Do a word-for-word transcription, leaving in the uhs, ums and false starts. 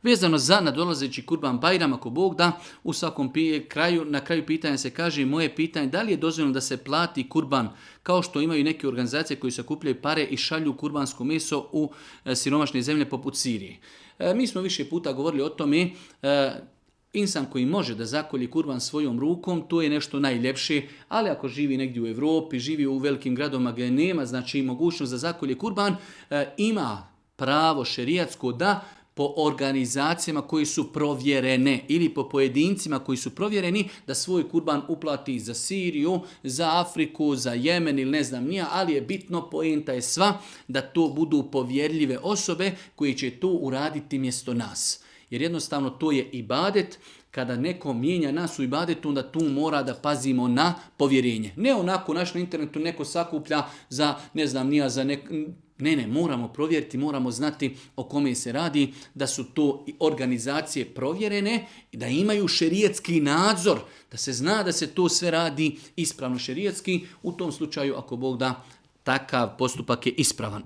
Vezano za nadolazeći Kurban Bajram, ako Bog da, u svakom kraju, na kraju pitanja se kaže moje pitanje da li je dozvoljeno da se plati kurban kao što imaju neke organizacije koji sakupljaju pare i šalju kurbansko meso u siromašne zemlje poput Sirije. E, mi smo više puta govorili o tome, e, insan koji može da zakolji kurban svojom rukom, to je nešto najljepše, ali ako živi negdje u Europi, živi u velikim gradovima gdje nema znači mogućnost da zakolje kurban, e, ima pravo šerijatsko da po organizacijama koji su provjerene ili po pojedincima koji su provjereni da svoj kurban uplati za Siriju, za Afriku, za Jemen ili ne znam nija, ali je bitno, poenta je sva da to budu povjerljive osobe koji će to uraditi mjesto nas. Jer jednostavno to je ibadet. Kada neko mijenja nas u ibadetu, onda tu mora da pazimo na povjerenje. Ne onako naš na internetu neko sakuplja za, ne znam, nija za nek... Ne, ne, moramo provjeriti, moramo znati o kome se radi, da su to organizacije provjerene i da imaju šerijatski nadzor, da se zna da se to sve radi ispravno šerijatski. U tom slučaju, ako Bog da, takav postupak je ispravan.